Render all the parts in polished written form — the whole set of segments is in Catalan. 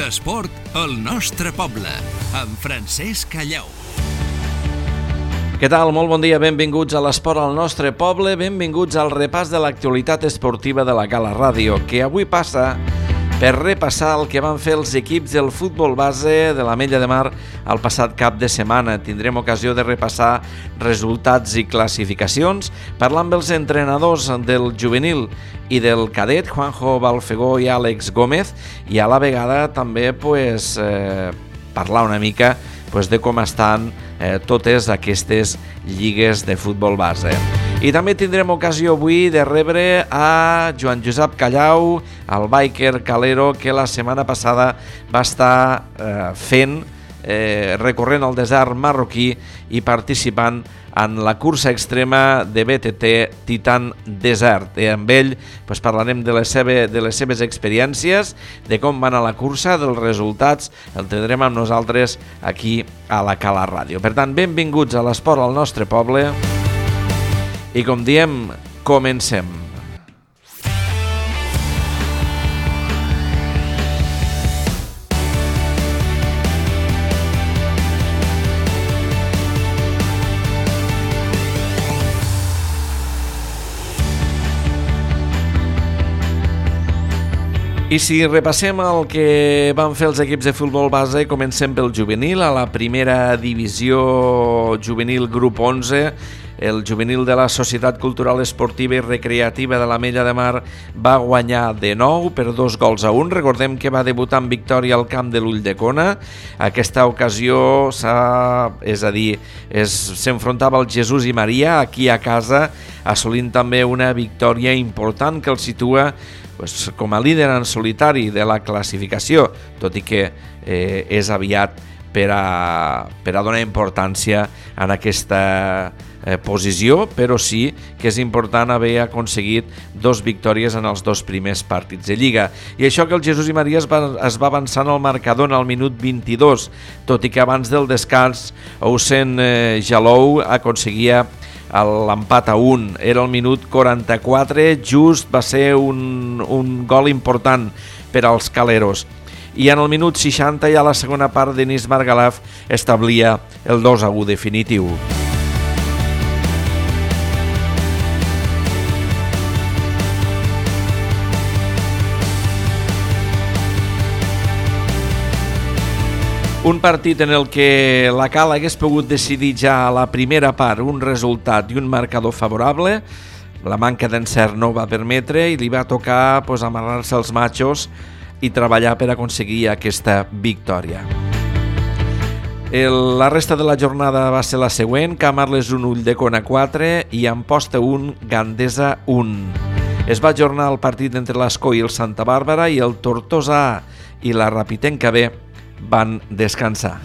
L'esport al nostre poble, amb Francesc Callau. Què tal? Molt bon dia, benvinguts a l'Esport al nostre poble, benvinguts al repàs de l'actualitat esportiva de la Gala Ràdio, que avui passa per repassar el que van fer els equips del futbol base de l'Ametlla de Mar el passat cap de setmana. Tindrem ocasió de repassar resultats i classificacions, parlar amb els entrenadors del juvenil i del cadet, Juanjo Balfegó i Àlex Gómez, i a la vegada també parlar una mica de com estan totes aquestes lligues de futbol base. I també tindrem ocasió avui de rebre a Joan Josep Callau, el biker calero que la setmana passada va estar recorrent el desert marroquí i participant en la cursa extrema de BTT Titan Desert. I amb ell parlarem de les seves experiències, de com van a la cursa, dels resultats. El tindrem amb nosaltres aquí a la Gala Ràdio. Per tant, benvinguts a l'esport al nostre poble i, com diem, comencem. I si repassem el que van fer els equips de futbol base, comencem pel juvenil. A la primera divisió juvenil grup 11, el juvenil de la Societat Cultural Esportiva i Recreativa de l'Ametlla de Mar va guanyar de nou per 2-1. Recordem que va debutar en victòria al camp de l'Ulldecona. Aquesta ocasió s'enfrontava al Jesús i Maria aquí a casa, assolint també una victòria important que el situa com a líder en solitari de la classificació, tot i que és aviat per a donar importància en aquesta posició, però sí que és important haver aconseguit 2 victòries en els 2 primers partits de Lliga. I això que el Jesús i Maria es va avançant al marcador al minut 22, tot i que abans del descans Hussein Jalou aconseguia l'empat a 1. Era el minut 44, just va ser un gol important per als caleros. I en el minut 60, ja a la segona part, Denis Margalaf establia el 2-1 definitiu. Un partit en el que la Cala hagués pogut decidir ja a la primera part un resultat i un marcador favorable. La manca d'encert no ho va permetre i li va tocar amarrar-se els matxos i treballar per aconseguir aquesta victòria. La resta de la jornada va ser la següent: Camarles 1, Ulldecona 4 i Amposta 1, Gandesa 1. Es va ajornar el partit entre l'Escó i el Santa Bàrbara i el Tortosa i la Rapitenca B van descansar.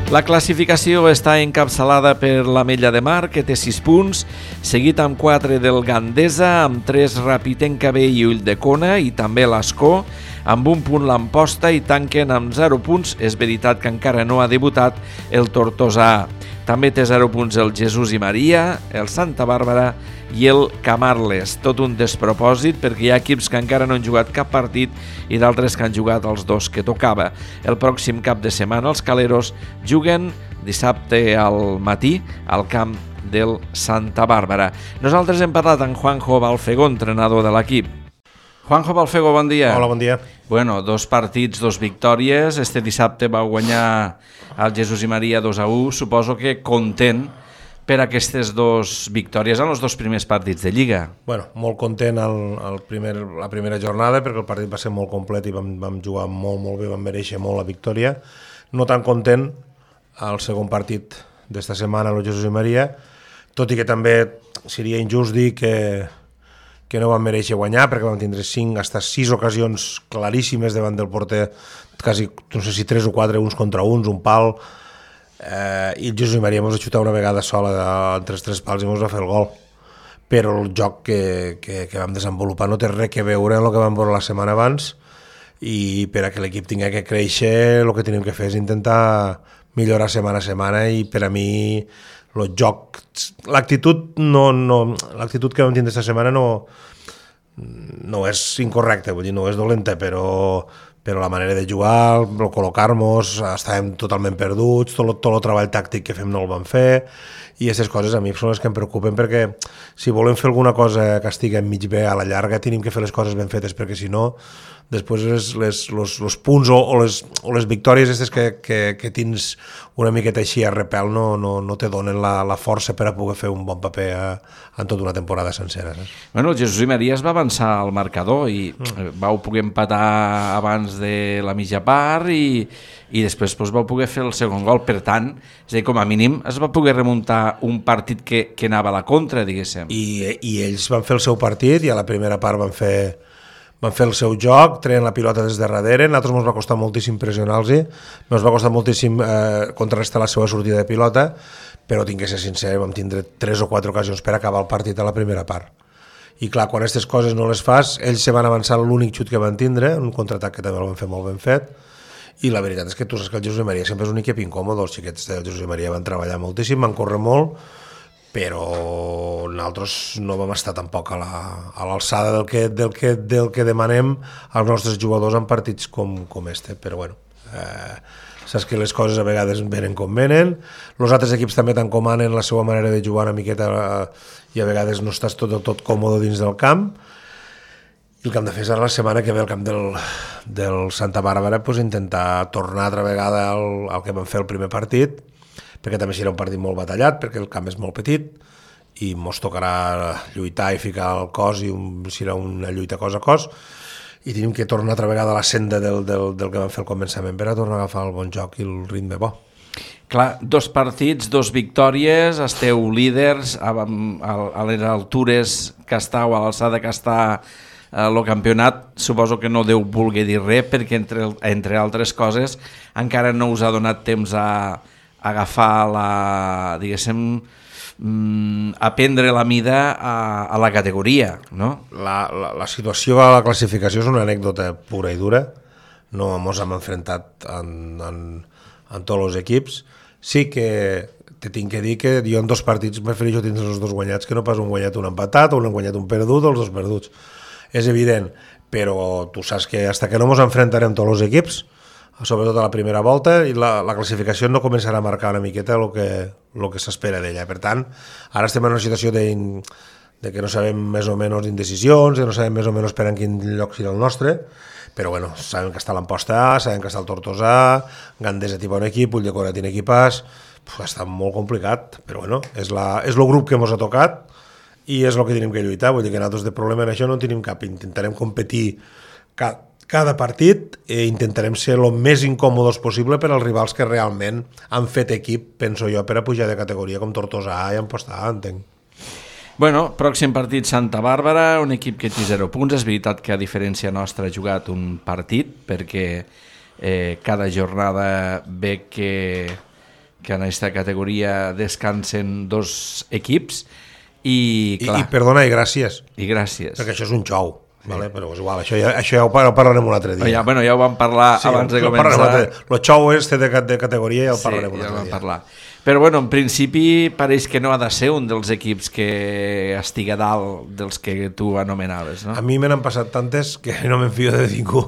La classificació està encapçalada per l'Ametlla de Mar, que té 6 punts, seguit amb 4 del Gandesa, amb 3 Rapitenca B i Ulldecona, i també l'Escó, amb 1 punt l'Amposta, i tanquen amb 0 punts. És veritat que encara no ha debutat el Tortosa. També té 0 punts el Jesús i Maria, el Santa Bàrbara i el Camarles. Tot un despropòsit, perquè hi ha equips que encara no han jugat cap partit i d'altres que han jugat els 2 que tocava. El pròxim cap de setmana els caleros juguen dissabte al matí al camp del Santa Bàrbara. Nosaltres hem parlat amb Juanjo Balfegó, entrenador de l'equip. Juanjo Balfegó, bon dia. Hola, bon dia. 2 partits, 2 victòries. Este dissabte va guanyar el Jesús i Maria 2-1. Suposo que content per aquestes 2 victòries en els 2 primers partits de Lliga. Molt content la primera jornada, perquè el partit va ser molt complet i vam jugar molt bé, vam mereixer molt la victòria. No tan content al segon partit d'esta setmana, el Jesús i Maria, tot i que també seria injust dir que no van mereixer guanyar, perquè vam tindre 6 ocasions claríssimes davant del porter, quasi, no sé si 3 o 4, uns contra uns, un pal, i el Jesús i Maria ens va xutar una vegada sola entre els 3 pals i ens va fer el gol. Però el joc que vam desenvolupar no té res que veure amb el que vam veure la setmana abans, i per a que l'equip tingui que créixer el que tenim que fer és intentar millorar setmana a setmana, i per a mi el joc, l'actitud que vam tindre aquesta setmana no no és incorrecte, vull dir, no és dolenta, però la manera de jugar, col·locar-nos, estàvem totalment perduts, tot el treball tàctic que fem no el vam fer, i aquestes coses a mi són les que em preocupen, perquè si volem fer alguna cosa que estigui mig bé a la llarga, tenim que fer les coses ben fetes, perquè si no, després els punts o les victòries aquestes que tens una miqueta així a repel no te donen la força per a poder fer un bon paper en tota una temporada sencera. Saps? Bueno, el Jesús i Maria es va avançar al marcador i vau poder empatar abans de la mitja part i després vau poder fer el segon gol. Per tant, és a dir, com a mínim es va poder remuntar un partit que anava a la contra, diguéssim. I ells van fer el seu partit i a la primera part van fer el seu joc, treien la pilota des de darrere, a nosaltres ens va costar moltíssim pressionar-los, ens va costar moltíssim contrarrestar la seva sortida de pilota, però tinc que ser sincer, vam tindre 3 o 4 ocasions per acabar el partit a la primera part. I clar, quan aquestes coses no les fas, ells se van avançar l'únic xut que van tindre, un contraatac que també el van fer molt ben fet, i la veritat és que tu saps que el Jesús i Maria sempre és un equip incòmode, els xiquets del Jesús i Maria van treballar moltíssim, van córrer molt, però nosaltres no vam estar tampoc a l'alçada del que demanem als nostres jugadors en partits com este, però bueno, saps que les coses a vegades venen com venen, els altres equips també t'encomanen la seva manera de jugar una miqueta i a vegades no estàs tot còmode dins del camp, i el que hem de fer és la setmana que ve al camp del Santa Bàrbara pues, intentar tornar altra vegada al que vam fer el primer partit, perquè també serà un partit molt batallat, perquè el camp és molt petit i ens tocarà lluitar i ficar el cos i serà una lluita cos a cos i tenim que tornar altra vegada a la senda del que vam fer al començament per a tornar a agafar el bon joc i el ritme bo. Clar, 2 partits, 2 victòries, esteu líders a les altures que estàu, a l'alçada que està el campionat. Suposo que no deu voler dir res perquè entre altres coses encara no us ha donat temps a agafar diguéssim, a prendre la mida a la categoria, no? La situació a la classificació és una anècdota pura i dura, no ens hem enfrontat en tots els equips, sí que te tinc que dir que jo en 2 partits prefereixo tindre els 2 guanyats que no pas un guanyat un empatat o un guanyat un perdut o els 2 perduts, és evident, però tu saps que fins que no ens enfrontarem tots els equips, sobretot a la primera volta, i la classificació no començarà a marcar una miqueta el que s'espera d'ella. Per tant, ara estem en una situació de que no sabem més o menys d'indecisions, de no sabem més o menys per en quin lloc serà el nostre, però bueno, sabem que està l'Amposta A, sabem que està el Tortosa, Gandesa té bon equip, Ulldecona té equipàs, està molt complicat, però bueno, és el grup que ens ha tocat i és el que tenim que lluitar, vull dir que nosaltres de problema en això no tenim cap, intentarem competir cada partit i intentarem ser el més incòmodes possible per als rivals que realment han fet equip, penso jo, per a pujar de categoria com Tortosa A i Amposta A, entenc. Bueno, pròxim partit Santa Bàrbara, un equip que té 0 punts. És veritat que a diferència nostra ha jugat un partit perquè cada jornada ve que en aquesta categoria descansen 2 equips i clar... I perdona, i gràcies. I gràcies. Perquè això és un xou. Vale, però és igual, això ja ho parlarem un altre dia. Ja ho vam parlar abans de començar. El xou és de categoria i el parlarem un altre dia. Parlar. Però bueno, en principi pareix que no ha de ser un dels equips que estigui a dalt dels que tu anomenaves, no? A mi me n'han passat tantes que no me'n fio de ningú.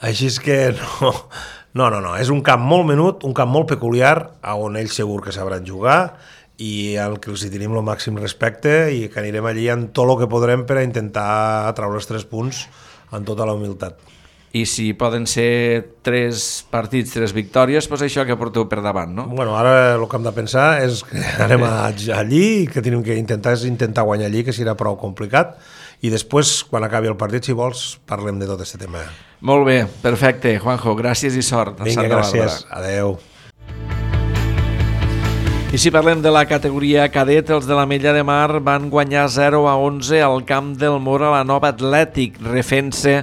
Així és que no. És un camp molt menut, un camp molt peculiar, on ells segur que sabran jugar i al que els hi tenim el màxim respecte i que anirem allí amb tot el que podrem per a intentar treure els 3 punts amb tota la humilitat. I si poden ser 3 partits, 3 victòries, doncs això que porteu per davant, no? Bueno, ara el que hem de pensar és que anem allí i que tenim que intentar guanyar allí, que serà prou complicat, i després, quan acabi el partit, si vols, parlem de tot aquest tema. Molt bé, perfecte, Juanjo, gràcies i sort. Vinga, gràcies, adeu. I si parlem de la categoria cadet, els de l'Ametlla de Mar van guanyar 0-11 al camp del Mora la Nova Atlètic, refent-se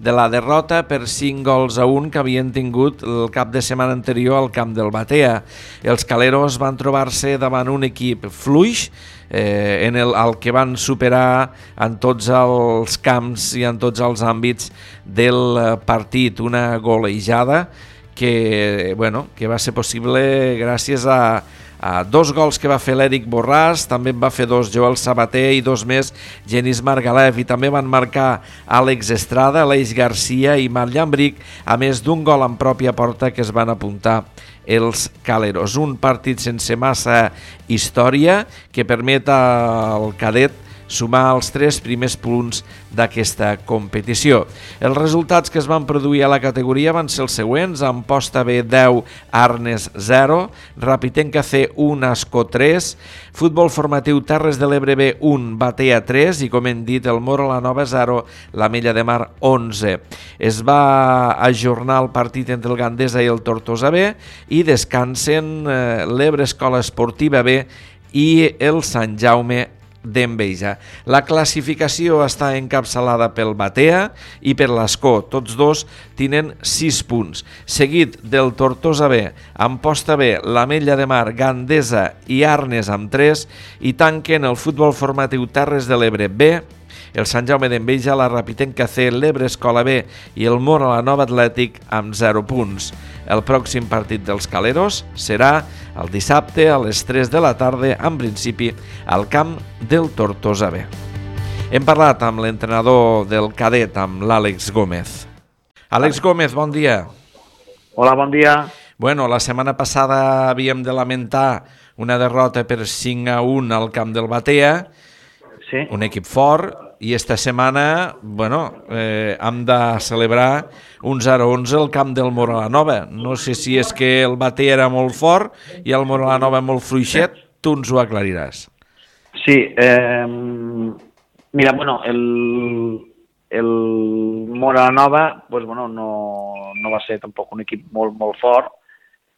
de la derrota per 5-1 que havien tingut el cap de setmana anterior al camp del Batea. Els caleros van trobar-se davant un equip fluix, el que van superar en tots els camps i en tots els àmbits del partit, una golejada que va ser possible gràcies a 2 gols que va fer l'Eric Borràs, també en va fer 2 Joel Sabater i 2 més Genís Margalef, i també van marcar Àlex Estrada, Aleix Garcia i Marc Llambric, a més d'un gol en pròpia porta que es van apuntar els Caleros. Un partit sense massa història que permet al cadet sumar els 3 primers punts d'aquesta competició. Els resultats que es van produir a la categoria van ser els següents: Amposta B 10, Arnes 0, Rapitenca C 1, Ascó 3, Futbol Formatiu Terres de l'Ebre B 1, Batea 3 i, com hem dit, el Mora la Nova 0, l'Ametlla de Mar 11. Es va ajornar el partit entre el Gandesa i el Tortosa B i descansen l'Ebre Escola Esportiva B i el Sant Jaume d'Enveja. La classificació està encapçalada pel Batea i per l'Ascó, tots dos tenen 6 punts, seguit del Tortosa B, Amposta B, l'Ametlla de Mar, Gandesa i Arnes amb 3, i tanquen el Futbol Formatiu Terres de l'Ebre B, el Sant Jaume d'Enveja, la Rapitenca C, l'Ebre Escola B i el Mora la Nova Atlètic amb 0 punts. El pròxim partit dels Caleros serà el dissabte a les 3 de la tarda, en principi al camp del Tortosa B. Hem parlat amb l'entrenador del cadet, amb l'Àlex Gómez. Àlex Gómez, bon dia. Hola, bon dia. Bueno, la setmana passada havíem de lamentar una derrota per 5-1 al camp del Batea, Sí. un equip fort, i esta setmana, hem de celebrar un 0-11 al camp del Mora la Nova. No sé si és que el Batea era molt fort i el Mora la Nova molt fluixet, tu ens ho aclariràs. Sí, mira, bueno, el Mora la Nova, pues, bueno, no va ser tampoc un equip molt fort.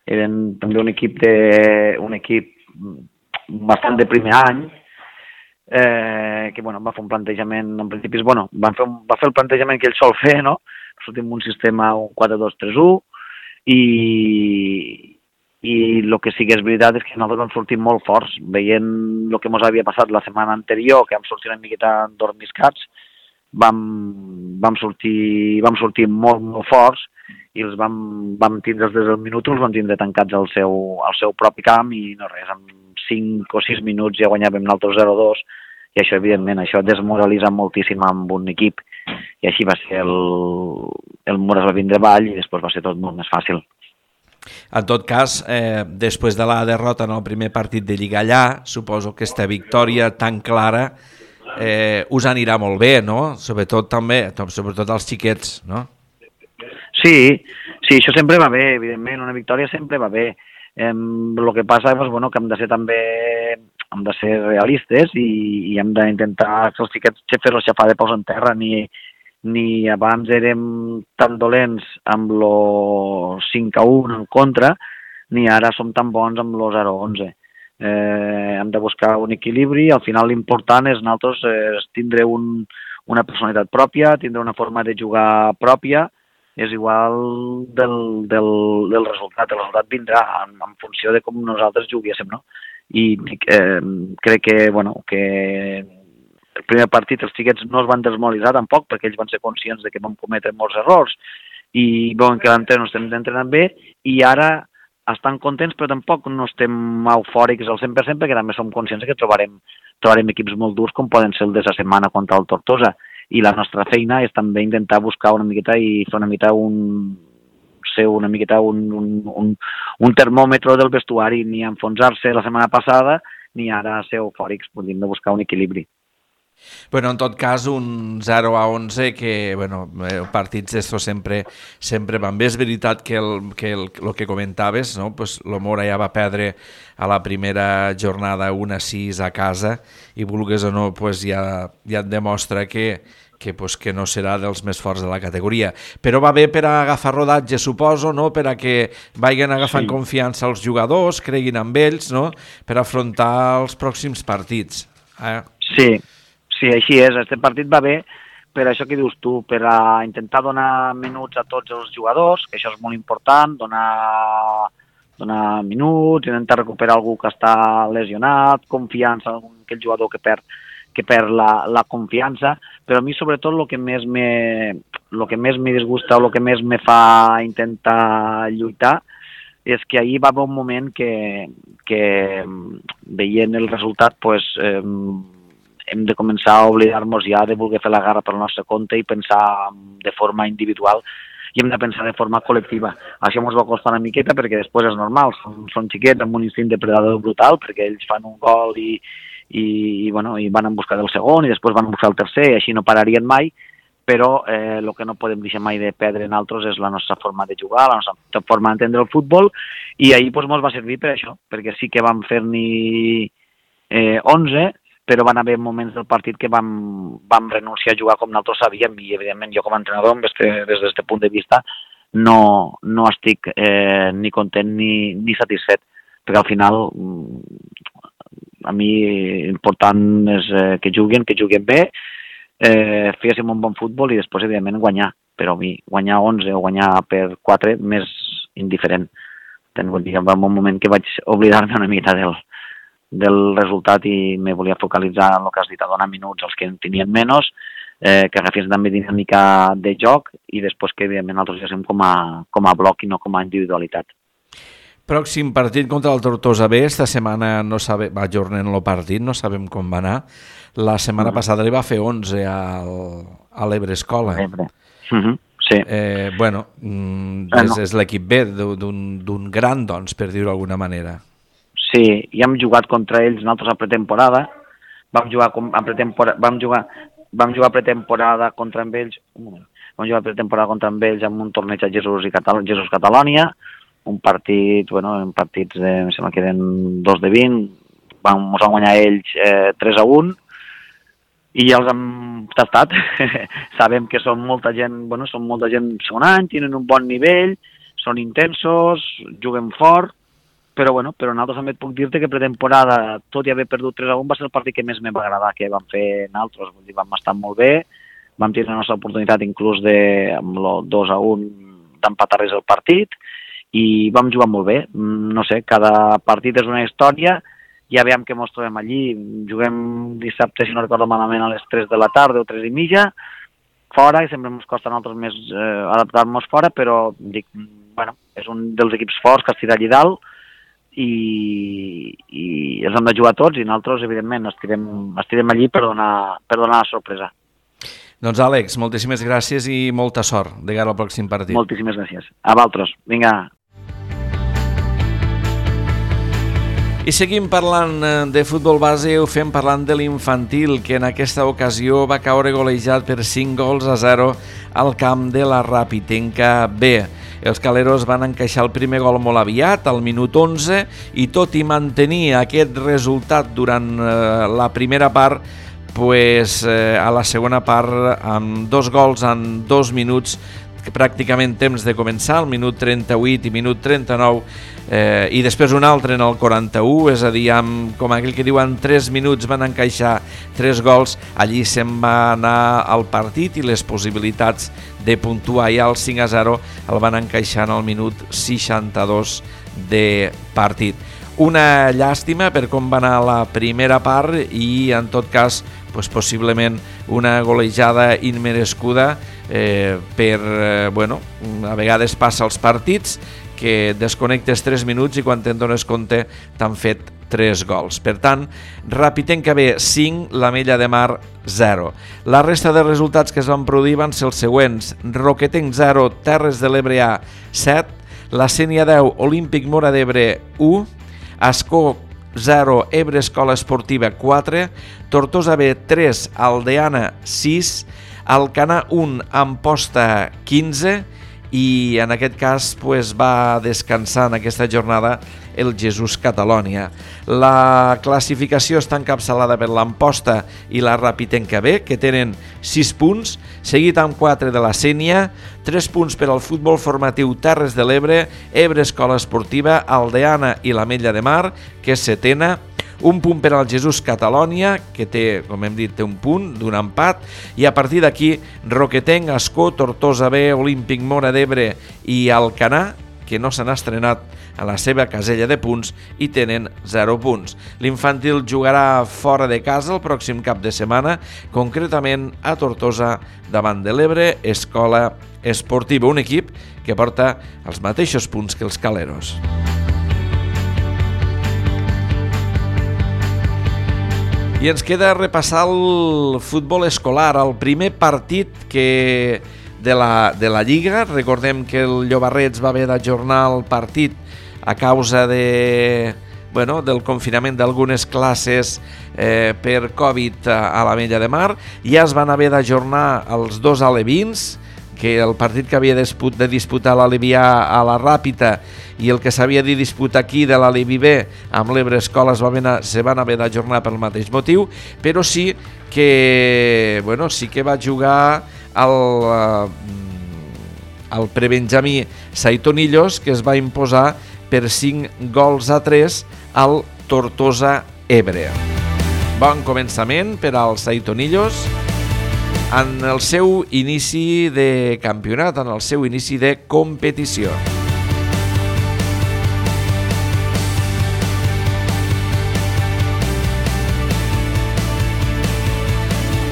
Eren també un equip bastant de primer any, que bueno, va fer un plantejament, en principi, bueno, va fer el plantejament que ell sol fer, no? Sortim un sistema, un 4-2-3-1, i el que sí que és veritat és que nosaltres vam sortir molt forts, veient el que ens havia passat la setmana anterior, que vam sortir una miqueta endormiscats, vam sortir molt forts, i els vam tindre des del minut, els vam tindre tancats al seu propi camp, i no res, en 5 o 6 minuts ja guanyàvem nosaltres 0-2, i això, evidentment, això desmoralitza moltíssim amb un equip, i així va ser el Mura es va vindre avall i després va ser tot molt més fàcil. En tot cas, després de la derrota en el primer partit de Lliga allà, suposo que aquesta victòria tan clara us anirà molt bé, no? Sobretot als xiquets, no? Sí, això sempre va bé, evidentment, una victòria sempre va bé. El que passa és que hem de ser també realistes i hem d'intentar que els xiquets fer-los xafar de peus en terra. Ni abans érem tan dolents amb el 5-1 en contra, ni ara som tan bons amb el 0-11. Hem de buscar un equilibri. Al final l'important és nosaltres tindre una personalitat pròpia, tindre una forma de jugar pròpia. És igual del resultat. El resultat vindrà en funció de com nosaltres juguéssim, no? I crec que el primer partit els xiquets no es van desmoralitzar tampoc, perquè ells van ser conscients de que vam cometre molts errors i veuen que l'entrenador estem entrenant bé, i ara estan contents, però tampoc no estem eufòrics al 100%, perquè també som conscients que trobarem equips molt durs, com poden ser el de la setmana contra el Tortosa. I la nostra feina és també intentar buscar una miqueta i fer un termòmetre del vestuari, ni enfonsar-se la setmana passada, ni ara ser eufòrics, podríem de buscar un equilibri. Bueno, en tot cas, un 0-11 que, partits d'estos sempre van bé. És veritat que el que comentaves, no? Pues el Mora ja va perdre a la primera jornada 1-6 a casa i, vulgues o no, pues ja et demostra que no serà dels més forts de la categoria. Però va bé per a agafar rodatge, suposo, no? Per a que vagin agafant confiança als jugadors, creguin amb ells, no? Per afrontar els pròxims partits. Sí, així és. Aquest partit va bé per això que dius tu, per a intentar donar minuts a tots els jugadors, que això és molt important, donar minuts, intentar recuperar algú que està lesionat, confiança en aquell jugador que perd la confiança, però a mi sobretot el que més me disgusta o el que més me fa intentar lluitar és que ahir va haver un moment que que veient el resultat pues, hem de començar a oblidar-nos ja de voler fer la guerra pel nostre compte i pensar de forma individual i hem de pensar de forma col·lectiva. Això ens va costar una miqueta perquè després és normal, són xiquets amb un instint depredador brutal perquè ells fan un gol i van en busca del segon i després van a buscar el tercer i així no pararien mai, però el que no podem deixar mai de perdre en altres és la nostra forma de jugar, la nostra forma d'entendre el futbol i ahir ens va servir per això, perquè sí que vam fer-n'hi 11, però van haver moments del partit que vam renunciar a jugar com nosaltres sabíem i evidentment jo com a entrenador des d'aquest punt de vista no estic ni content ni satisfet, perquè al final a mi important és que juguin bé, féssim un bon futbol i després evidentment guanyar, però a mi guanyar 11 o guanyar per 4 més indiferent. Va un moment que vaig oblidar-me una mica del resultat i me volia focalitzar en el que has dit, a donar minuts als que en tenien menys, que agafés també dinàmica de joc i després que evidentment nosaltres ja som com a bloc i no com a individualitat. Pròxim partit contra el Tortosa B, esta setmana no va ajornant el partit, no sabem com va anar. La setmana passada li va fer 11 a l'Ebre Escola. Sí. És l'equip B d'un gran, doncs, per dir-ho d'alguna manera. Sí, i hem jugat contra ells nosaltres a pretemporada, vam jugar a pretemporada contra ells en un torneig a Jesús Catalònia, un partit, en partits em sembla que eren 2 de 20, ens van guanyar ells 3-1 i ja els hem tastat. Sabem que són molta gent segon any, tenen un bon nivell, són intensos, juguen fort, però nosaltres també et puc dir-te que pretemporada, tot i haver perdut 3-1, va ser el partit que més me va agradar que vam fer nosaltres. Vam estar molt bé, vam tenir la nostra oportunitat inclús amb el 2-1 d'empatar res el partit i vam jugar molt bé. No sé, cada partit és una història, ja veiem que ens trobem allí, juguem dissabte, si no recordo malament, a les 3 de la tarda o 3 i mitja, fora, i sempre ens costa a nosaltres més adaptar-nos fora, però dic, és un dels equips forts que estirà allí dalt, i els hem de jugar tots i nosaltres, evidentment, estirem allí per donar la sorpresa. Doncs Àlex, moltíssimes gràcies i molta sort de cara al pròxim partit. Moltíssimes gràcies. A vosaltres. Vinga. I seguim parlant de futbol base, ho fem parlant de l'infantil, que en aquesta ocasió va caure golejat per 5-0 al camp de la Rapitenca B. Els caleros van encaixar el primer gol molt aviat, al minut 11, i tot i mantenir aquest resultat durant la primera part, a la segona part, amb 2 gols en 2 minuts, pràcticament temps de començar, al minut 38 i minut 39, i després un altre en el 41, és a dir, com aquell que diuen 3 minuts van encaixar 3 gols, allí se'n va anar al partit i les possibilitats de puntuar ja el 5-0 el van encaixar en el minut 62 de partit. Una llàstima per com va anar la primera part i en tot cas possiblement una golejada immerescuda a vegades passa als partits que desconnectes 3 minuts i quan te'n dones compte t'han fet 3 gols. Per tant, Rapitenca B 5, l'Ametlla de Mar 0. La resta de resultats que es van produir van ser els següents: Roquetenc 0, Terres de l'Ebre A 7, la Sénia 10, Olímpic Móra d'Ebre 1, Ascó 0, Ebre Escola Esportiva 4, Tortosa B 3, Aldeana 6, Alcanar 1, Amposta 15 i en aquest cas va descansar en aquesta jornada el Jesús Catalònia. La classificació està encapçalada per l'Amposta i la Rapitenca B, que tenen 6 punts, seguit amb 4 de la Sénia, 3 punts per al futbol formatiu Terres de l'Ebre, Ebre Escola Esportiva, Aldeana i l'Ametlla de Mar, que és setena, un punt per al Jesús Catalònia, que té, com hem dit, té un punt d'un empat, i a partir d'aquí Roquetenc, Ascó, Tortosa B, Olímpic Móra d'Ebre i Alcanar, que no s'han estrenat a la seva casella de punts i tenen 0 punts. L'infantil jugarà fora de casa el pròxim cap de setmana, concretament a Tortosa davant de l'Ebre Escola Esportiva, un equip que porta els mateixos punts que els caleros. I ens queda repassar el futbol escolar, el primer partit de la Lliga. Recordem que el Llobarrets va haver d'ajornar el partit a causa del confinament d'algunes classes per Covid a l'Ametlla de Mar. Ja es van haver d'ajornar els dos alevins, que el partit que havia de disputar l'Alevià a la Ràpita i el que s'havia de disputar aquí de l'Alevi B amb l'Ebre Escola se van haver d'ajornar pel mateix motiu, però sí que va jugar el prebenjamí Saitonillos, que es va imposar per 5-3 al Tortosa Ebre. Bon començament per als Saitonillos en el seu inici de campionat, en el seu inici de competició.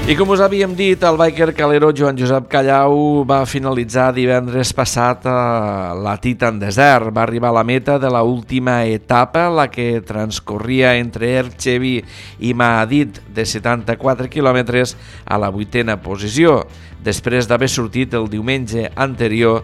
I com us havíem dit, el biker calero Joan Josep Callau va finalitzar divendres passat la Titan Desert. Va arribar a la meta de l'última etapa, la que transcorria entre Erchevi i Maadit, de 74 quilòmetres, a la 8a posició, després d'haver sortit el diumenge anterior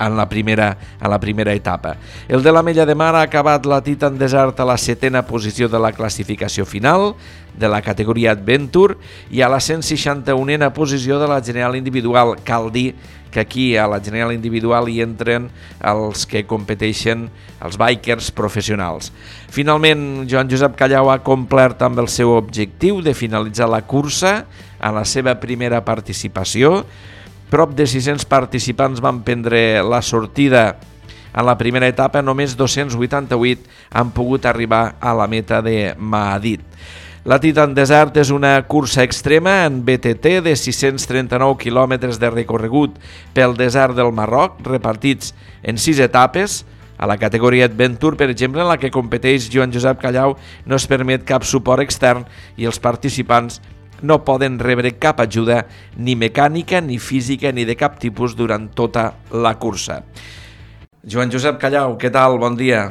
en la primera etapa. El de l'Ametlla de Mar ha acabat la Titan Desert a la 7a posició de la classificació final de la categoria Adventure i a la 161a posició de la general individual. Cal dir que aquí a la general individual hi entren els que competeixen, els bikers professionals. Finalment, Joan Josep Callau ha complert amb el seu objectiu de finalitzar la cursa en la seva primera participació. Prop de 600 participants van prendre la sortida en la primera etapa, només 288 han pogut arribar a la meta de Maadit. La Titan Desert és una cursa extrema en BTT de 639 quilòmetres de recorregut pel desert del Marroc, repartits en 6 etapes. A la categoria Adventure, per exemple, en la que competeix Joan Josep Callau, no es permet cap suport extern i els participants no poden rebre cap ajuda ni mecànica, ni física, ni de cap tipus durant tota la cursa. Joan Josep Callau, què tal? Bon dia.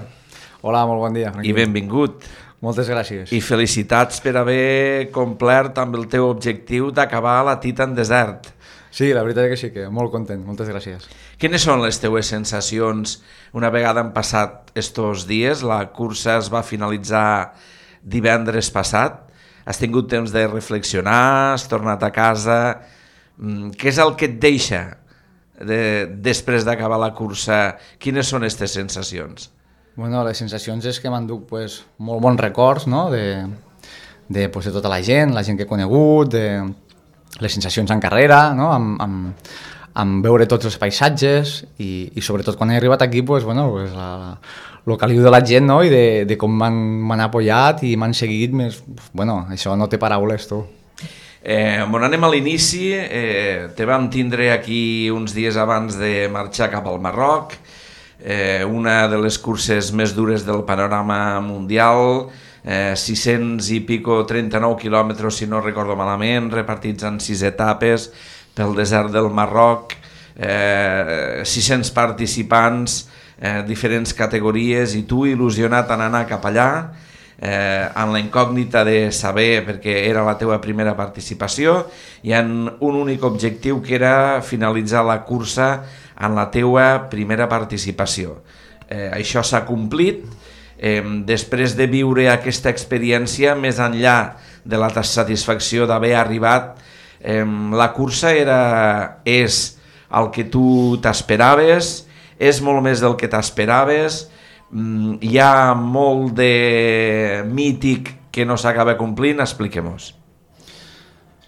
Hola, molt bon dia. I benvingut. Moltes gràcies. I felicitats per haver complert amb el teu objectiu d'acabar la Titan Desert. Sí, la veritat és que sí, que molt content. Moltes gràcies. Quines són les teues sensacions una vegada han passat estos dies? La cursa es va finalitzar divendres passat. Has tingut temps de reflexionar, has tornat a casa. Què és el que et deixa després d'acabar la cursa? Quines són aquestes sensacions? Bueno, les sensacions és que m'enduc molt bons records, no? de tota la gent que he conegut, de les sensacions en carrera, no? amb veure tots els paisatges i sobretot quan he arribat aquí, el caliu de la gent, no? I de com m'han apoyat i m'han seguit, això no té paraules, tu. Anem a l'inici, te vam tindre aquí uns dies abans de marxar cap al Marroc, una de les curses més dures del panorama mundial, 600 i pico, 39 quilòmetres, si no recordo malament, repartits en 6 etapes pel desert del Marroc, 600 participants, diferents categories, i tu il·lusionat en anar cap allà, en la incògnita de saber, perquè era la teva primera participació, i en un únic objectiu que era finalitzar la cursa en la teva primera participació. Això s'ha complit. Després de viure aquesta experiència, més enllà de la satisfacció d'haver arribat, la cursa és el que tu t'esperaves, és molt més del que t'esperaves, hi ha molt de mític que no s'acaba complint, expliquem-nos.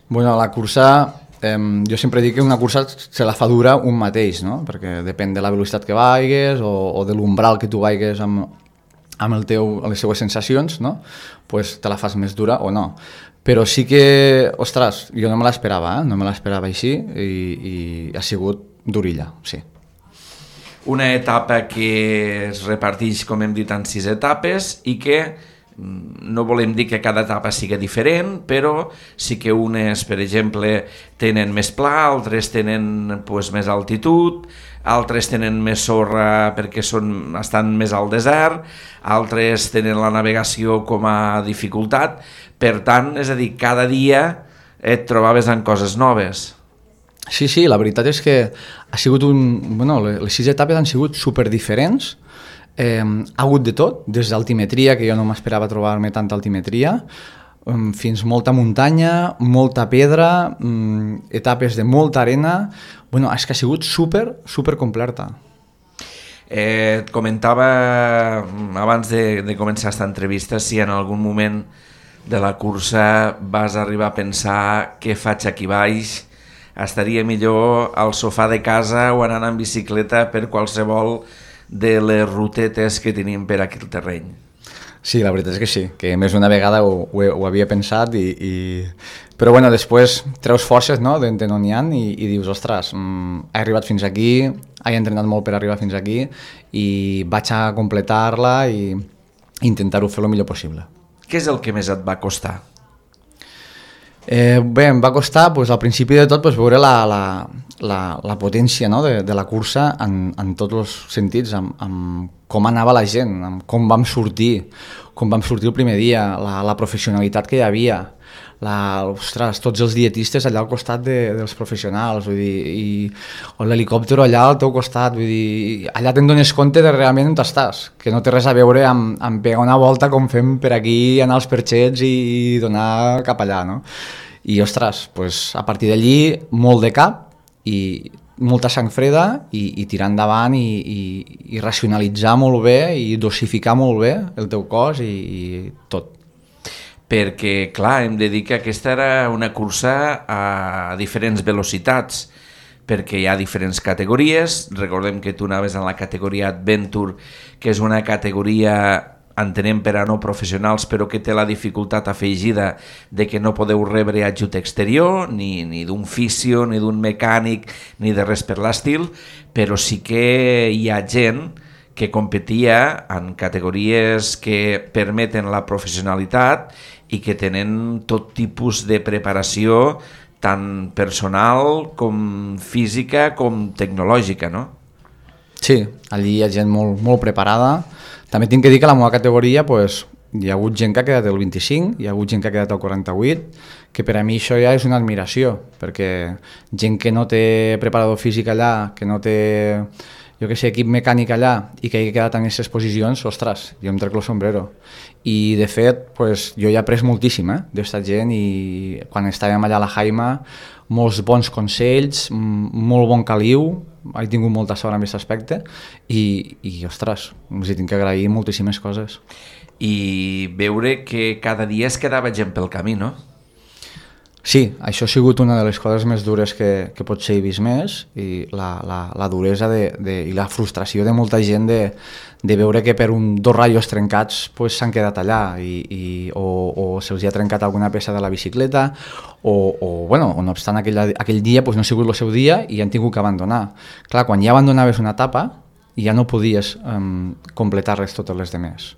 Bueno, la cursa, jo sempre dic que una cursa se la fa dura un mateix, no? Perquè depèn de la velocitat que vaigues o de l'umbral que tu vaigues amb les seues sensacions, no? Pues te la fas més dura o no. Però sí que, ostres, jo no me l'esperava, no me l'esperava així i ha sigut durilla, sí. Una etapa que es reparteix, com hem dit, en 6 etapes i que no volem dir que cada etapa sigui diferent, però sí que unes, per exemple, tenen més pla, altres tenen més altitud, altres tenen més sorra perquè estan més al desert, altres tenen la navegació com a dificultat. Per tant, és a dir, cada dia et trobaves en coses noves. Sí, la veritat és que ha sigut les 6 etapes han sigut superdiferents. Ha hagut de tot, des d'altimetria, que jo no m'esperava trobar-me tanta altimetria, fins molta muntanya, molta pedra, etapes de molta arena. És que ha sigut super completa. Et comentava abans de començar aquesta entrevista si en algun moment de la cursa vas arribar a pensar què faig aquí baix, estaria millor al sofà de casa o anant en bicicleta per qualsevol de les rutetes que tenim per aquí al terreny. Sí, la veritat és que sí, que més d'una vegada ho havia pensat, però després treus forces, no?, d'on n'hi ha i dius, ostres, he arribat fins aquí, he entrenat molt per arribar fins aquí i vaig a completar-la i intentar-ho fer el millor possible. Què és el que més et va costar? Bé, em va costar al principi de tot veure la potència, no?, de la cursa en tots els sentits, amb com anava la gent, amb com vam sortir el primer dia, la professionalitat que hi havia, tots els dietistes allà al costat dels professionals, vull dir, o l'helicòpter allà al teu costat, vull dir, allà te'n dones compte de realment on estàs, que no té res a veure amb pegar una volta com fem per aquí, anar als perxets i donar cap allà, no? I, ostres, a partir d'allí, molt de cap i molta sang freda i tirar endavant i racionalitzar molt bé i dosificar molt bé el teu cos i tot. Perquè, clar, hem de dir que aquesta era una cursa a diferents velocitats, perquè hi ha diferents categories. Recordem que tu anaves en la categoria Adventure, que és una categoria, entenem, per a no professionals, però que té la dificultat afegida de que no podeu rebre ajut exterior, ni d'un fisio, ni d'un mecànic, ni de res per l'estil, però sí que hi ha gent que competia en categories que permeten la professionalitat i que tenen tot tipus de preparació, tant personal com física com tecnològica, no? Sí, allí hi ha gent molt preparada. També tinc que dir que a la meva categoria hi ha hagut gent que ha quedat el 25, hi ha hagut gent que ha quedat el 48, que per a mi això ja és una admiració, perquè gent que no té preparador físic allà, que no té, jo què sé, equip mecànic allà i que hagi quedat en aquestes posicions, ostres, jo em trec el sombrero. I de fet, jo he après moltíssim d'esta gent i quan estàvem allà a la Jaima, molts bons consells, molt bon caliu, he tingut molta sort en aquest aspecte i ostres, els hi tinc que agrair moltíssimes coses. I veure que cada dia es quedava gent pel camí, no? Sí, això ha sigut una de les coses més dures que potser he vist més i la duresa i la frustració de molta gent de veure que per dos ratllos trencats s'han quedat allà o se'ls ha trencat alguna peça de la bicicleta o no obstant aquell dia no ha sigut el seu dia i han tingut que abandonar. Clar, quan ja abandonaves una etapa ja no podies completar-les totes les demés.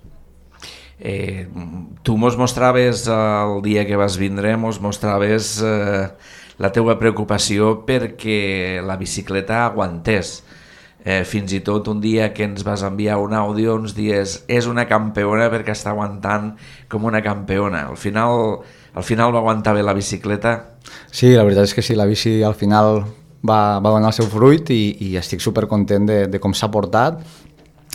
Tu mos mostraves el dia que vas vindre, mos mostraves la teua preocupació perquè la bicicleta aguantés. Fins i tot un dia que ens vas enviar un àudio ens dies és una campeona perquè està aguantant com una campeona. Al final va aguantar bé la bicicleta? Sí, la veritat és que sí, la bici al final va donar el seu fruit i estic supercontent de com s'ha portat.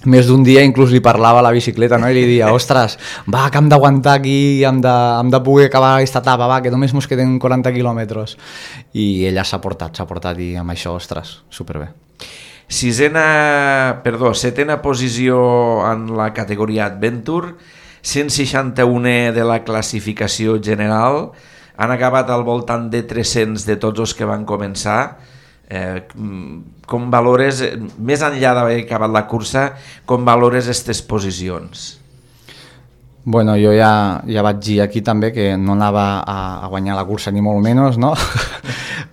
Més d'un dia inclús li parlava a la bicicleta, no? I li deia, ostres, va, que hem d'aguantar aquí, hem de poder acabar aquesta etapa, va, que només ens queden 40 quilòmetres. I ella s'ha portat i amb això, ostres, superbé. Setena posició en la categoria Adventure, 161 de la classificació general, han acabat al voltant de 300 de tots els que van començar. Com valores, més enllà d'haver acabat la cursa, com valores aquestes posicions? Bueno, jo ja vaig dir aquí també que no anava a guanyar la cursa ni molt menys, no?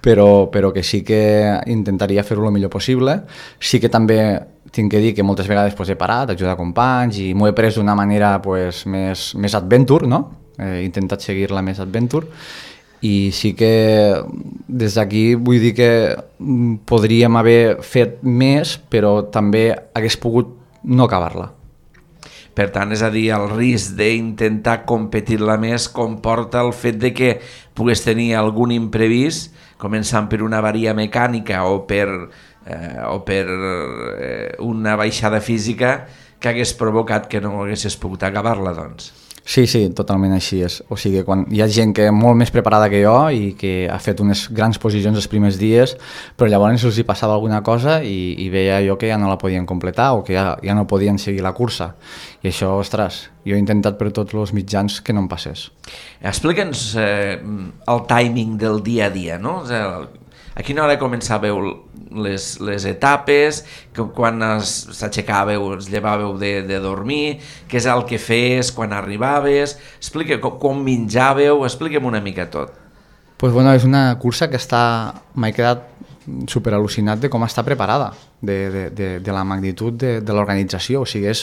però que sí que intentaria fer-ho el millor possible. Sí que també tinc que dir que moltes vegades pues, he parat, ajudar companys i m'ho he pres d'una manera pues, més adventure, no? He intentat seguir-la més adventure i sí que des d'aquí vull dir que podríem haver fet més, però també hagués pogut no acabar-la. Per tant, és a dir, el risc d'intentar competir-la més comporta el fet de que pugues tenir algun imprevist, començant per una avaria mecànica o per una baixada física que hagués provocat que no haguessis pogut acabar-la, doncs. Sí, totalment així és. O sigui, quan hi ha gent que és molt més preparada que jo i que ha fet unes grans posicions els primers dies, però llavors els hi passava alguna cosa i veia jo que ja no la podien completar o que ja no podien seguir la cursa. I això, ostres, jo he intentat per tots els mitjans que no em passés. Explica'ns el timing del dia a dia, no? A quina hora començàveu les etapes, quan s'aixecàveu, es llevàveu de dormir, què és el que feies quan arribaves, explica com menjàveu, expliquem una mica tot. Pues bueno, és una cursa que m'he quedat super al·lucinat de com està preparada, de la magnitud de l'organització, o sigui,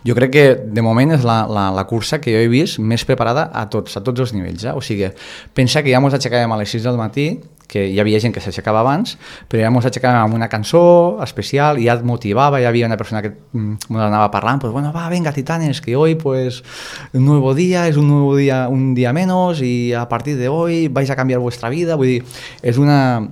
jo crec que de moment és la cursa que jo he vist més preparada a tots els nivells, o sigui, pensa que ja ens aixecàvem a les 6 del matí, que hi havia gent que s'aixecava abans, però ja ens aixecàvem amb una cançó especial i ja et motivava, hi havia una persona que ens anava parlant, pues bueno, va, venga, titanes, que hoy pues un nuevo día, es un nuevo día, un día menos y a partir de hoy vais a cambiar vuestra vida, vull dir, és una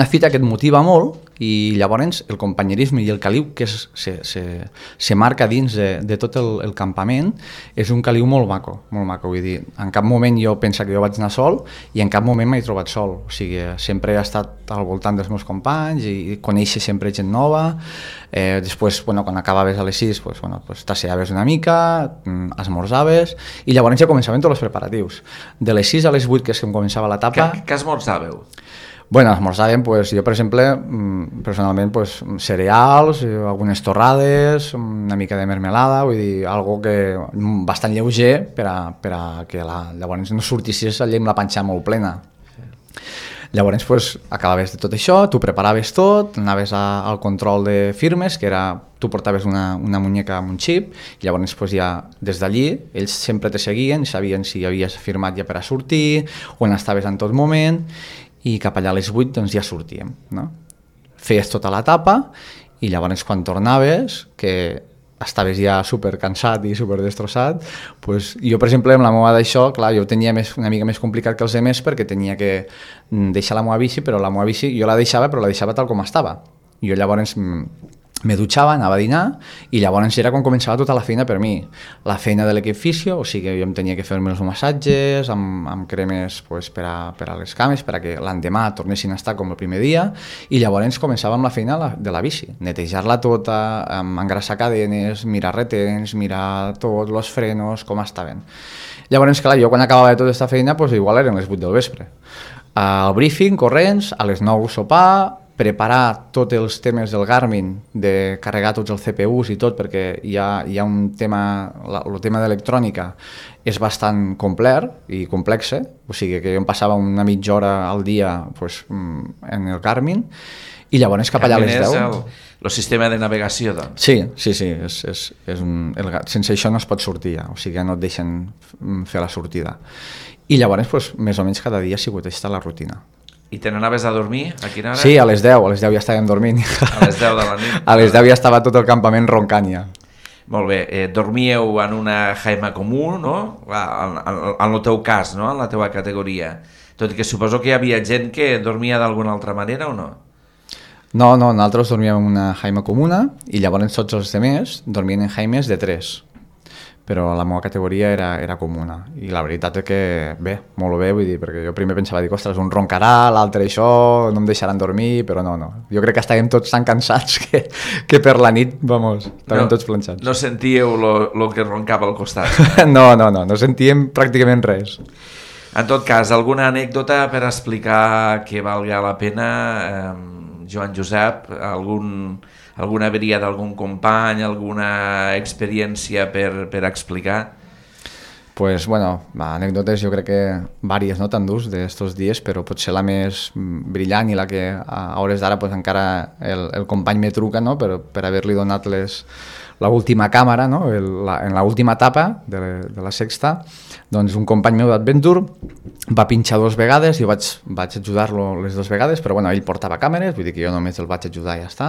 fita que et motiva molt i llavors el companyerisme i el caliu que se marca dins de tot el campament és un caliu molt maco, vull dir, en cap moment jo penso que jo vaig anar sol i en cap moment m'he trobat sol, o sigui, sempre he estat al voltant dels meus companys i conèixer sempre gent nova, després, bueno, quan acabaves a les 6, t'asseaves una mica, esmorzaves i llavors ja començaven tots els preparatius. De les 6 a les 8 que és que començava l'etapa... Què esmorzàveu? Bueno, esmorzàvem, jo per exemple, personalment, cereals, algunes torrades, una mica de mermelada, vull dir, algo que bastant lleuger per a que llavors no sortissis allà amb la panxa molt plena. Llavors, acabaves de tot això, tu preparaves tot, anaves al control de firmes, que era, tu portaves una muñeca amb un xip, i llavors ja des d'allí ells sempre te seguien, sabien si havies firmat ja per a sortir, on estaves en tot moment, i cap allà a les 8 doncs ja sortíem, no? Feies tota l'etapa i llavors quan tornaves, que estaves ja super cansat i super destrossat, doncs jo per exemple amb la meva d'això, clar, jo ho tenia una mica més complicat que els altres perquè tenia que deixar la meva bici, però la meva bici jo la deixava, però la deixava tal com estava. Jo llavors me dutxava, anava a dinar i llavors era quan començava tota la feina per mi. La feina de l'equip fisio, o sigui, jo em tenia que fer-me els massatges amb cremes per a les cames, perquè l'endemà tornessin a estar com el primer dia i llavors començava amb la feina de la bici, netejar-la tota, engrassar cadenes, mirar retens, mirar tots els frenos, com estaven. Llavors, clar, jo quan acabava de tota aquesta feina, igual eren les 8 del vespre. Al briefing, corrents, a les 9 sopar, preparar tots els temes del Garmin, de carregar tots els CPUs i tot, perquè hi ha un tema, el tema d'electrònica és bastant complet i complex, o sigui que jo em passava una mitja hora al dia en el Garmin i llavors cap allà a les 10. El sistema de navegació, doncs. Sí, sense això no es pot sortir ja, o sigui que no et deixen fer la sortida. I llavors, més o menys cada dia ha sigut aquesta la rutina. I te n'anaves a dormir? A quina hora? Sí, a les 10 ja estàvem dormint. A les 10 de la nit? A les 10 ja estava tot el campament roncant ja. Molt bé, dormíeu en una jaima comú, no? En el teu cas, no? En la teva categoria. Tot i que suposo que hi havia gent que dormia d'alguna altra manera o no? No, nosaltres dormíem en una jaima comuna i llavors tots els altres dormien en jaimes de 3. Però la meva categoria era comuna i la veritat és que bé, molt bé, vull dir, perquè jo primer pensava, ostres, un roncarà, l'altre això, no em deixaran dormir, però no, jo crec que estàvem tots tan cansats que per la nit, estàvem tots planxats. No sentíeu lo que roncava al costat? No sentíem pràcticament res. En tot cas, alguna anècdota per explicar que valga la pena, Joan Josep, alguna averia d'algun company, alguna experiència per explicar? Pues, bueno, anècdotes jo crec que vàries, no, t'endús d'estos dies, però potser la més brillant i la que a hores d'ara pues, encara el company me truca, no, per haver-li donat l'última càmera, no, en l'última etapa de la sexta, doncs un company meu d'Adventure va pinxar 2 vegades, jo vaig ajudar-lo les 2 vegades, però bueno, ell portava càmeres, vull dir que jo només el vaig ajudar i ja està,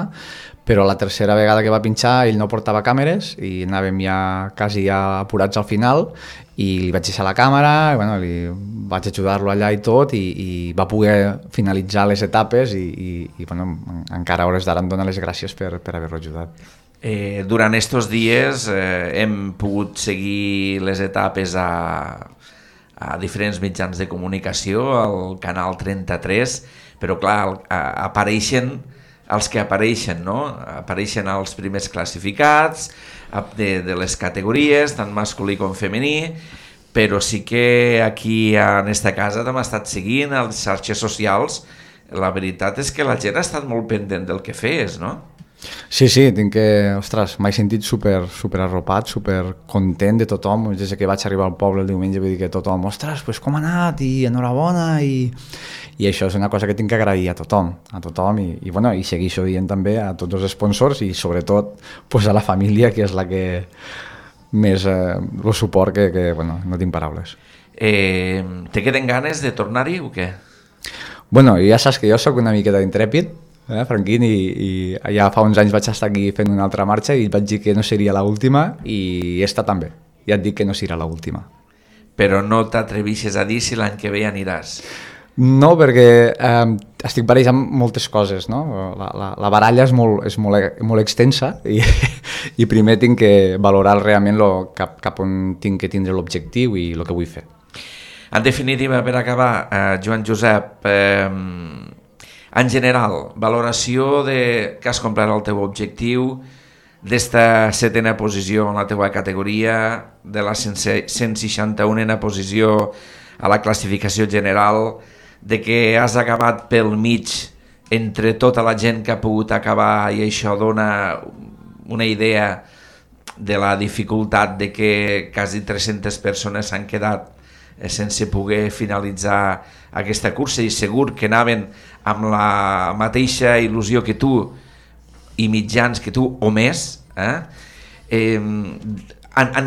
però la tercera vegada que va pinxar ell no portava càmeres i anàvem quasi apurats al final i li vaig deixar la càmera, i, bueno, li vaig ajudar-lo allà i tot i va poder finalitzar les etapes i bueno, encara a hores d'ara em dona les gràcies per haver-lo ajudat. Durant estos dies hem pogut seguir les etapes a diferents mitjans de comunicació, al canal 33, però clar, apareixen els que apareixen, no? Apareixen els primers classificats de les categories, tant masculí com femení, però sí que aquí en esta casa t'hem estat seguint a les xarxes socials. La veritat és que la gent ha estat molt pendent del que feies, no? Sí, tinc que, ostres, m'he sentit super arropat, super content de tothom, des que vaig arribar al poble el diumenge, vull dir que tothom, ostres, pues com ha anat, i enhorabona, i això és una cosa que tinc que agrair a tothom i bueno, i segueixo dient també a tots els sponsors i sobretot pues, a la família, que és la que més el suport que bueno, no tinc paraules. Te queden ganes de tornar-hi o què? Bueno, ja saps que jo sóc una miqueta intrèpid, Franquín, i ja fa uns anys vaig estar aquí fent una altra marxa i vaig dir que no seria l'última i esta també, ja et dic que no serà l'última. Però no t'atrevixes a dir si l'any que ve aniràs? No, perquè estic barrejant moltes coses, no? La baralla és molt extensa i primer tinc que valorar realment cap on tinc que tindre l'objectiu i el que vull fer. En definitiva, per acabar, Joan Josep, en general, valoració que has complert el teu objectiu, d'esta 7a posició en la teua categoria, de la 161a posició a la classificació general, de que has acabat pel mig entre tota la gent que ha pogut acabar, i això dona una idea de la dificultat de que quasi 300 persones s'han quedat sense poder finalitzar aquesta cursa, i segur que anaven amb la mateixa il·lusió que tu i mitjans que tu o més. En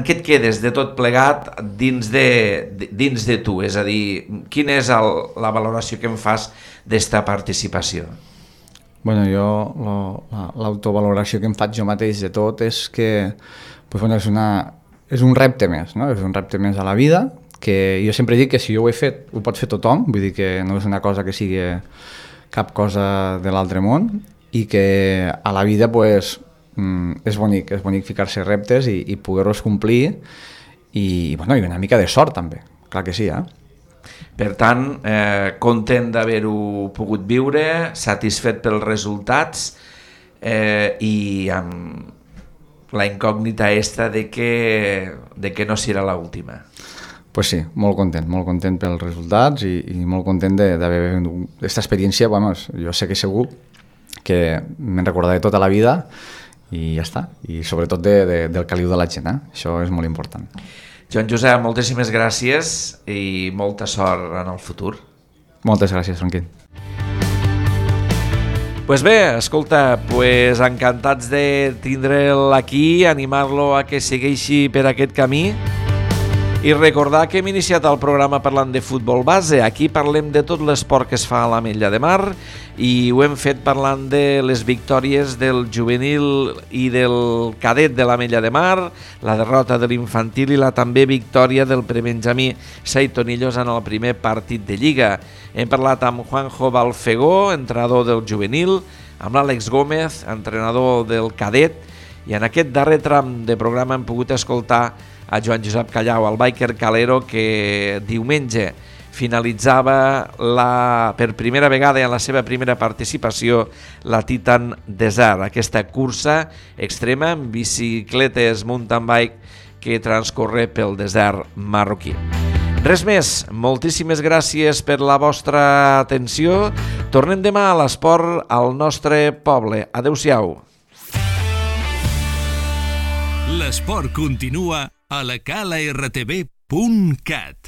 què et quedes de tot plegat dins de tu? És a dir, quina és la valoració que em fas d'esta participació? Bueno, jo l'autovaloració que em faig jo mateix de tot és que pues, bueno, és un repte més, no? És un repte més a la vida, que jo sempre dic que si jo ho he fet, ho pot fer tothom, vull dir que no és una cosa que sigui cap cosa de l'altre món, i que a la vida pues, és bonic ficar-se reptes i poder-los complir, i bueno, i una mica de sort també, clar que sí, Per tant, content d'haver-ho pogut viure, satisfet pels resultats i amb la incògnita esta de que no serà l'última. Pues sí, molt content pels resultats i molt content d'haver viscut aquesta experiència. Vamos, jo sé que segur que me'n recordaré tota la vida i ja està, i sobretot del caliu de la gent, això és molt important. Joan Josep, moltíssimes gràcies i molta sort en el futur. Moltes gràcies, Franquín. Pues bé, escolta, encantats de tindre'l aquí, animar-lo a que segueixi per aquest camí. I recordar que hem iniciat el programa parlant de futbol base. Aquí parlem de tot l'esport que es fa a l'Ametlla de Mar i ho hem fet parlant de les victòries del juvenil i del cadet de l'Ametlla de Mar, la derrota de l'infantil i la també victòria del prebenjamí Saitonillos en el primer partit de Lliga. Hem parlat amb Juanjo Balfegó, entrenador del juvenil, amb l'Àlex Gómez, entrenador del cadet, i en aquest darrer tram de programa hem pogut escoltar a Joan Josep Callau, el biker calero, que diumenge finalitzava per primera vegada en la seva primera participació la Titan Desert, aquesta cursa extrema amb bicicletes mountain bike que transcorre pel desert marroquí. Res més, moltíssimes gràcies per la vostra atenció. Tornem demà a l'esport al nostre poble. Adéu-siau. L'esport continua a la Cala RTV www.radiotrinitat.cat